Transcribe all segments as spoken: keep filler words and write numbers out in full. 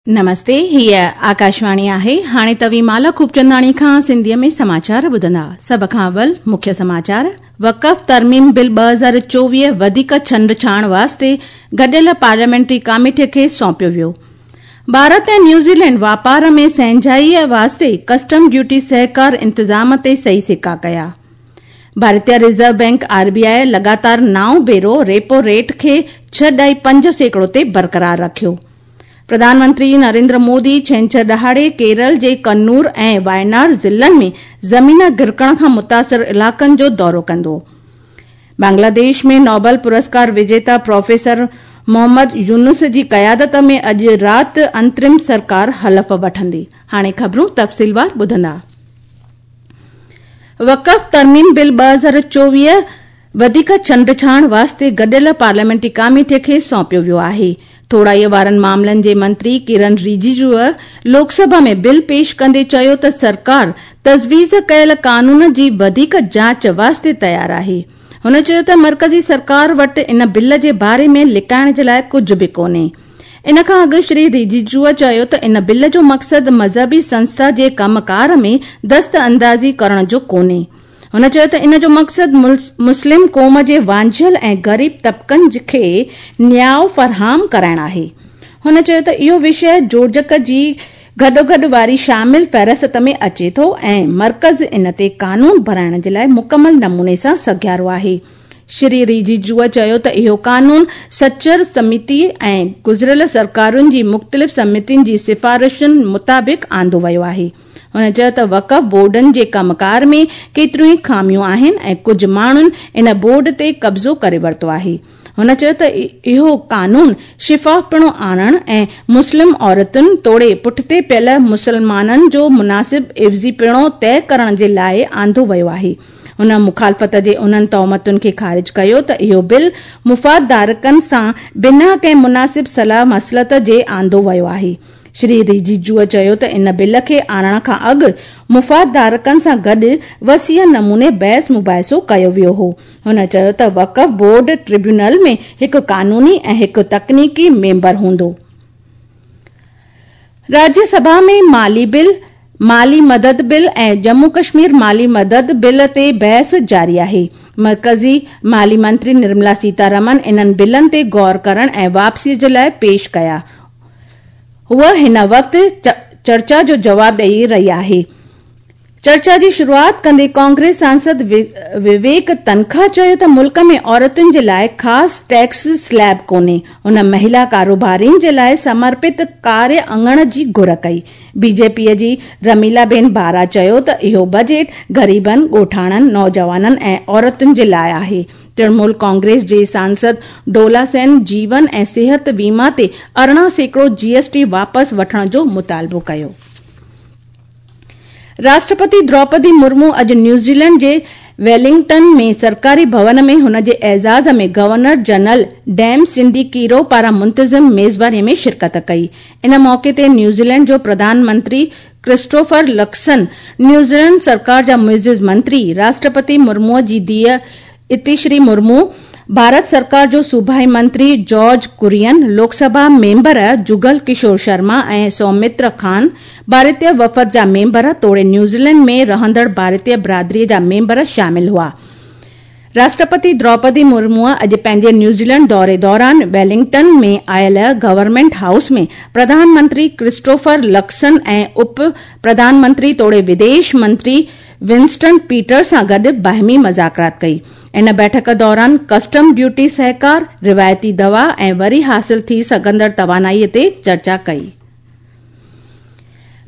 नमस्ते, हीअ आकाशवाणी आहे। हाणे तव्हीं माला खूबचंदाणी खां सिंधीअ में समाचार ॿुधंदा। सभ खां अवल मुख्य समाचार। वक़फ़ तरमीम बिल ॿ हज़ार चोवीह वधीक छंडछाण वास्ते गॾियल पार्लियामेंट्री कमेटीअ खे सौंपियो वियो। भारत ऐं न्यूज़ीलैंड वापार में सहंजाईअ वास्ते कस्टम ड्यूटी सहकार इंतज़ाम ते सही सिक्का कया। भारतीय रिज़र्व बैंक आरबीआई लगातार नाओं भेरो रेपो रेट खे छह ॾाई पंज सैकड़ो ते बरक़रार रखियो। प्रधानमंत्री नरेंद्र मोदी छेंछर ॾहाड़े केरल जे कन्नूर ऐं वायनाड ज़िलनि में ज़मीन गिरकण खां मुतासिर इलाइक़नि जो दौरो कंदो। बांग्लादेश में नोबेल पुरस्कार विजेता प्रोफेसर मोहम्मद यूनुस जी क़यादत में अॼु राति अंतरिम सरकार हलफ़ वठंदी। हाणे ख़बरूं तफ़सीलवार ॿुधंदा। वक़फ़ तरमीम बिल ॿ हज़ार चोवीह वधीक छंडछाण वास्ते गॾियल पार्लियामेंट्री कमेटीअ खे सौंपियो वियो आहे। थोड़ाईअ वारनि मामलनि जे मंत्री किरण रिजिजूअ लोकसभा में बिल पेश कंदे चयो त सरकार तजवीज़ कयल कानून जी वधीक जांच वास्ते तयारु आहे। हुन चयो त मर्कज़ी सरकार वटि इन बिल जे बारे में लिकाइण जे लाइ कुझु बि कोन्हे। इन खां अॻु श्री रिजिजूअ चयो त इन बिल जो मक़सदु मज़हबी संस्था जे कमकार में दस्त अंदाज़ी करण जो कोन्हे। हुन चयो त इन जो मक़सदु मुस्लिम क़ौम जे वांझियल ऐं ग़रीब तबक़नि खे न्याउ फराहम कराइण आहे। हुन चयो त इहो विषय जोड़जक जी गॾोगॾु वारी शामिल फ़हरिस्त में अचे थो ऐं मर्कज़ इन ते कानून बणाइण जे लाइ मुकमल नमूने सां सघियारो आहे। श्री रिजिजूअ चयो त इहो कानून सचर समिति ऐं गुज़िरियल सरकारुनि जी मुख़्तलिफ़ समितियुनि जी सिफ़ारिशुनि मुताबिक़ आंदो वियो आहे। हुन चयो त वक़फ़ बोर्डनि जे कमकार में केतिरियूं ई ख़ामियूं आहिनि ऐं कुझु माण्हुनि इन बोर्ड ते कब्ज़ो करे वरितो आहे। हुन चयो त इहो कानून शिफ़ाफ़पणो आणण ऐं मुस्लिम औरतुनि तोड़े पुठिते पियल मुसलमाननि जो मुनासिब इवज़ीपणो तय करण जे लाइ आंदो वियो आहे। हुन मुखालफ़त जे उन्हनि तोहमतुनि खे ख़ारिज कयो त इहो बिल मुफ़ादधारकनि सां बिना कंहिं मुनासिब सलाह मसलत जे आंदो वियो आहे। श्री रिजिजूअ चयो त इन बिल खे आणण खां अॻु मुफ़ादधारकनि सां गॾु वसीअ नमूने बहस मुबाहिसो कयो वियो हो। हुन चयो त वक़फ़ बोर्ड ट्रिब्यूनल में हिकु कानूनी ऐं हिकु तकनीकी मेंबर हूंदो। राज्यसभा में माली बिल, माली मदद बिल ऐं जम्मू कश्मीर माली मदद बिल ते बहस जारी आहे। मर्कज़ी माली मंत्री निर्मला सीतारमन इन्हनि बिलनि ते गौर करण ऐं वापसीअ जे लाइ पेश कया। हूअ हिन वक़्तु चर्चा जो जवाब ॾेई रही आहे। चर्चा जी शुरूआत कंदे कांग्रेस सांसद विवेक तनखा चयो त मुल्क में औरतुनि जे लाइ ख़ासि टैक्स स्लैब कोन्हे। हुन महिला कारोबारियुनि जे लाइ समर्पित कार्य अंगण जी घुर कई। बीजेपीअ जी रमीला बेन बारा चयो त इहो बजट ग़रीबनि, ॻोठाणनि, नौजवाननि ऐं औरतुनि जे लाइ आहे। तृणमूल कांग्रेस जे सांसद डोला सेन जीवन ऐं सिहत बीमा ते अरिड़हं सैकड़ो जीएसटी वापसि वठण जो मुतालबो कयो। राष्ट्रपति द्रौपदी मुर्मू अॼु न्यूज़ीलैंड जे वेलिंगटन में सरकारी भवन में हुन जे एज़ाज़ में governor general Dame Cindy Kiro पारां मुंतज़िम मेज़बानीअ में शिरकत कई। इन मौक़े ते न्यूज़ीलैंड जो प्रधानमंत्री क्रिस्टोफर लक्सन, न्यूज़ीलैंड सरकार जा मुइज़िज़ मंत्री, राष्ट्रपति मुर्मूअ जी धीउ इतिश्री मुर्मू, भारत सरकार जो सूबाई मंत्री जॉर्ज कुरियन, लोकसभा मेंबर जुगल किशोर शर्मा ऐं सौमित्र खान, भारतीय वफ़द जा मेंबर तोड़े न्यूज़ीलैंड में रहंदड़ भारतीय बिरादरीअ जा मेंबर शामिल हुआ। राष्ट्रपति द्रौपदी मुर्मूअ अॼु पंहिंजे न्यूज़ीलैंड दौरे दौरान वेलिंगटन में आयल गवर्नमेंट हाउस में प्रधानमंत्री क्रिस्टोफर लक्सन ऐं उप प्रधानमंत्री तोड़े विदेश मंत्री विंस्टन पीटर सां गॾु बाहिमी मुज़ाकरात कई। इन बैठक दौरान कस्टम ड्यूटी सहकार, रिवायती दवा ऐं वरी हासिल थी सघंदड़ तवानाईअ ते चर्चा कई।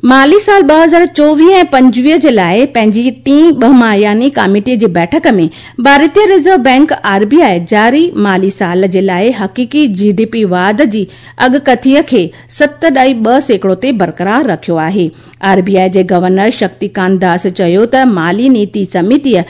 माली साल ॿ हज़ार चोवीह ऐं पंजवीह जे लाइ पंहिंजी टीं ॿमायानी कमेटीअ जी बैठक में भारतीय रिज़र्व बैंक आरबीआई जारी माली साल जे लाइ हक़ीक़ी जीडीपी वाध जी अॻकथीअ खे सत ॾाई ॿ सैकड़ो ते बरक़रार रखियो आहे। आरबीआई जे गवर्नर शक्तिकांत दास चयो त माली नीति समितीअ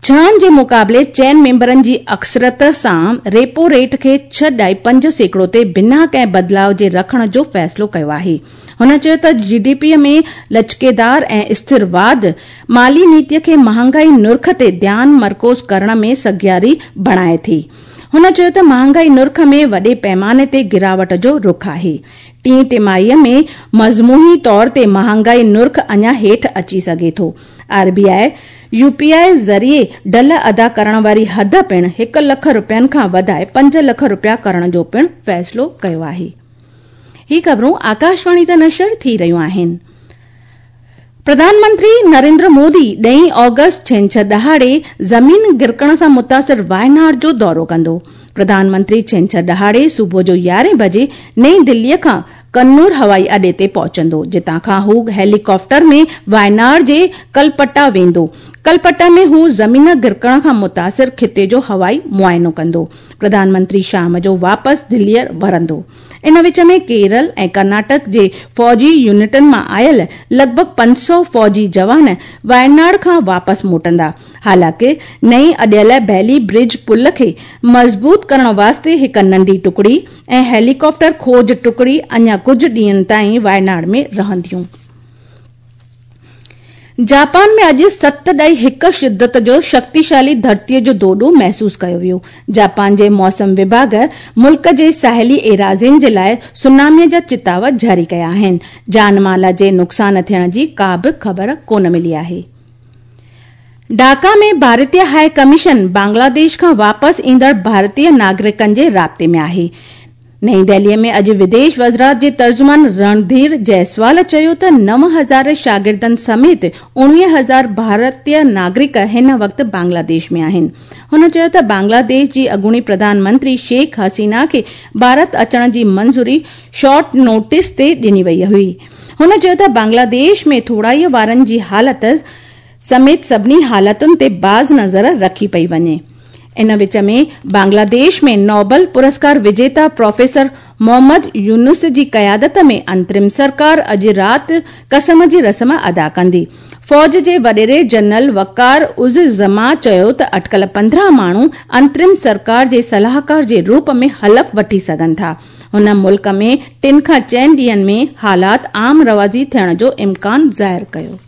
छहनि जे मुक़ाबले चइनि मेंबरनि जी अक्सरियत सां रेपो रेट खे छह ॾाई पंज सैकड़ो ते बिना कंहिं बदिलाव जे रखण जो फ़ैसिलो कयो आहे। हुन चयो त जीडीपी में लचकेदार ऐं स्थिर वाध माली नीतीअ खे महांगाई नुर्ख ते ध्यानु मरकूज़ करण में सघियारी बणाए थी। हुन चयो त महांगाई नुर्ख में वॾे पैमाने ते गिरावट जो रुख आहे। टीं टिमाहीअ में मजमूई तौर ते महांगाई नुर्ख अञा हेठि अची सघे थो। आरबीआई यूपीआई ज़रिए ढल अदा करण वारी हद पिणु हिकु लख रुपयनि खां वधाए पंज लख रुपया करण जो पिणु फ़ैसिलो कयो आहे। ही ख़बरूं आकाशवाणी तां नशर थी रहियूं आहिनि। प्रधानमंत्री नरेंद्र मोदी ॾहीं ऑगस्ट छेंछर ॾहाड़े ज़मीन गिरकण सां मुतासिर वायनाड जो दौरो कंदो। प्रधानमंत्री छेंछर ॾहाड़े सुबुह जो यारहें बजे नई दिल्लीअ खां कन्नूर हवाई अॾे ते पहुचंदो, जितां खां हू हेलीकॉप्टर में वायनाड जे कलपट्टा वेंदो। कलपट्टा में हू ज़मीन गिरकण खां मुतासिर खिते जो हवाई मुआइनो कंदो। प्रधानमंत्री शाम जो वापसि दिल्लीअ वरंदो। इन विच में केरल ऐं कर्नाटक जे फौजी यूनिटनि मां आयल लॻभॻि पंज सौ फौजी जवान वायनाड खां वापसि मोटंदा। हालांकि नई अॾियल बैली ब्रिज पुल खे मज़बूत करण वास्ते हिकु नंढी टुकड़ी ऐं हेलीकॉप्टर खोज टुकड़ी अञा कुझु ॾींहंनि ताईं वायनाड में रहंदियूं। जापान में अॼु सत ॾाई हिकु शिद्दत जो शक्तिशाली धरतीअ जो दोॾो महसूसु कयो वियो। जापान जे मौसम विभाग मुल्क जे साहिली एराज़ियुनि जे लाइ सुनामीअ जा चिताव जारी कया आहिनि। जान माल जे नुक़सान थियण जी का बि ख़बर कोन मिली आहे। ढाका में भारतीय हाई कमीशन बांग्लादेश खां वापसि ईंदड़ भारतीय नागरिकनि जे राब्ते में आहे। नई दिल्लीअ में अॼु विदेश वज़ारत जे तर्जुमान रणधीर जायसवाल चयो त नव हज़ार शागिर्दनि समेत उणिवीह हज़ार भारतीय नागरिक हिन वक़्तु बांग्लादेश में आहिनि। हुन चयो त बांग्लादेश जी अॻूणी प्रधानमंत्री शेख हसीना खे भारत अचण जी मंज़ूरी शॉर्ट नोटिस ते ॾिनी वई हुई। हुन चयो त बांग्लादेश में थोराईअ वारनि जी हालत समेत सभिनी हालतुनि ते बाज़ नज़र रखी पई वञे। इन विच में बांग्लादेश में नोबल पुरस्कार विजेता प्रोफेसर मोहम्मद यूनुस जी क़यादत में अंतरिम सरकार अॼु राति कसम जी रस्म अदा कंदी। फौज जे वॾेरे जनरल वकार उज़ ज़मा चयो त अटकल पंद्रहं माण्हू अंतरिम सरकार जे सलाहकार जे रूप में हलफ वठी सघनि था। हुन मुल्क में टिनि खां चइनि ॾींहंनि में हालात आम रवाज़ी थियण जो इम्कान ज़ाहिर कयो।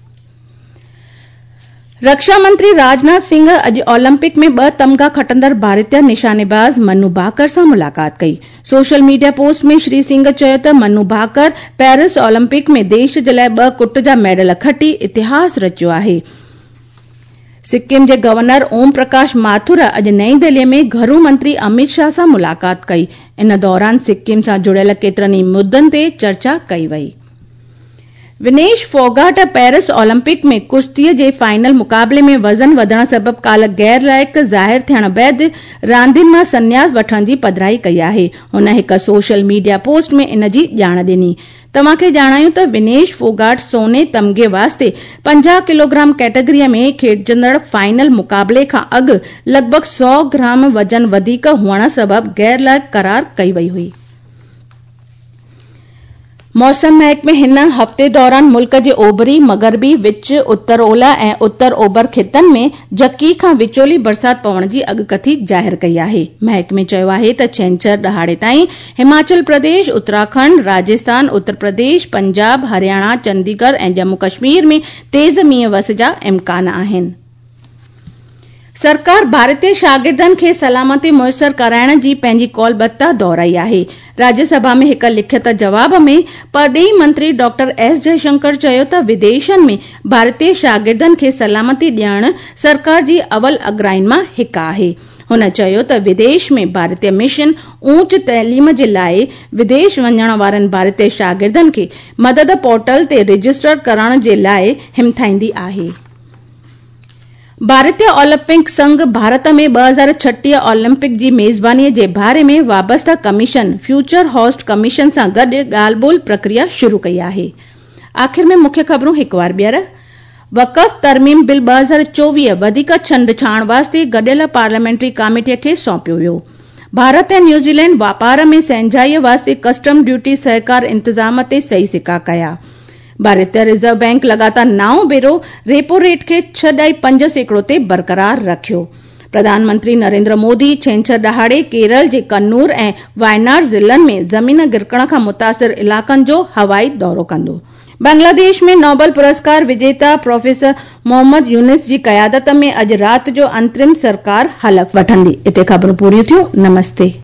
रक्षा मंत्री राजनाथ सिंह अॼु ओलंपिक में ॿ तमगा खटंदड़ भारतीय निशानेबाज़ मनु भाकर सां मुलाक़ात कई। सोशल मीडिया पोस्ट में श्री सिंह चयो त मनु भाकर पेरिस ओलंपिक में देश जे लाइ ॿ कुट जा मेडल खटी इतिहास रचियो आहे। सिक्किम जे गवर्नर ओम प्रकाश माथुर अॼु नई दिल्लीअ में घरू मंत्री अमित शाह सां मुलाक़ात कई। इन दौरान सिक्किम सां जुड़ियल केतिरनि ई मुद्दनि ते चर्चा कई वई। विनेश फोगाट पेरिस ओलंपिक में कुश्तीअ जे फाइनल मुक़ाबले में वज़न वधण सबबि काल्ह गैर लाइक़ ज़ाहिर थियण बाद रांदियुनि मां संन्यास वठण जी पधराई कई आहे। हुन हिकु सोशल मीडिया पोस्ट में इन जी ॼाण ॾिनी। तव्हांखे ॼाणायूं त विनेश फोगाट सोने तमगे वास्ते पंजाह किलोग्राम कैटेगरीअ में खेॾजंदड़ फाइनल मुक़ाबले खां अॻु लॻभॻि सौ ग्राम वज़न वधीक हुअण सबबि गैर लाइक़ करार कई वई हुई। मौसम महकमे हिन हफ़्ते दौरान मुल्क जे ओभरी, मग़रबी, विच, उत्तर ओलह ऐं उत्तर ओभर ख़ितनि में झकी खां विचोली बरसाति पवण जी अॻकथी ज़ाहिर कई आहे। महकमे चयो आहे त छेंछर ॾहाड़े ताईं हिमाचल प्रदेश, उत्तराखंड, राजस्थान, उत्तर प्रदेश, पंजाब, हरियाणा, चंडीगढ़ ऐं जम्मू कश्मीर में तेज़ मींहुं वस जा इम्कान आहिनि। सरकार भारतीय शागिर्दनि खे सलामती मुयसर कराइण जी पंहिंजी कौलबद्धता दोहराई आहे। राज्यसभा में हिकु लिखित जवाब में परॾेही मंत्री डॉक्टर एस जयशंकर चयो त विदेशनि में भारतीय शागिर्दनि खे सलामती ॾियण सरकार जी अवल अग्राइन मां हिकु आहे। हुन चयो त विदेश में भारतीय मिशन ऊंच तइलीम जे लाइ विदेश वञण वारनि भारतीय शागिर्दनि खे मदद पोर्टल ते रजिस्टर करण जे लाइ हिमथाईंदी आहे। भारतीय ओलंपिक संघ भारत में ॿ हज़ार छटीह ओलंपिक जी मेज़बानीअ जे बारे में वाबस्ता कमीशन फ्यूचर होस्ट कमीशन सां गॾु ॻाल्हि ॿोल प्रक्रिया शुरू कई आहे। आख़िर में मुख्य ख़बरूं हिकु वार ॿीहर। वक़फ़ तरमीम बिल ॿ हज़ार चोवीह वधीक छंडछाण वास्ते गॾियल पार्लियामेंट्री कमेटीअ खे सौंपियो वियो। भारत ऐं न्यूज़ीलैंड वापार में सहंजाईअ वास्ते कस्टम ड्यूटी सहकार इंतज़ाम ते सही सिक्का कया। भारतीय रिज़र्व बैंक लगातार नाओं भेरो रेपो रेट खे छह ॾाई पंज सैकड़ो ते बरक़रार रखियो। प्रधानमंत्री नरेंद्र मोदी छेंछर ॾहाड़े केरल जे कन्नूर ऐं वायनाड ज़िलनि में ज़मीन गिरकण खां मुतासिर इलाइक़नि जो हवाई दौरो कंदो। بنگلاديش ۾ نوبل پرسڪار وجيتا پروفيسر محمد يونس جي قيادت ۾ اڄ رات جو انترم سرڪار حلف وٺندي. اتي خبرون پوريون ٿيون. نمستي.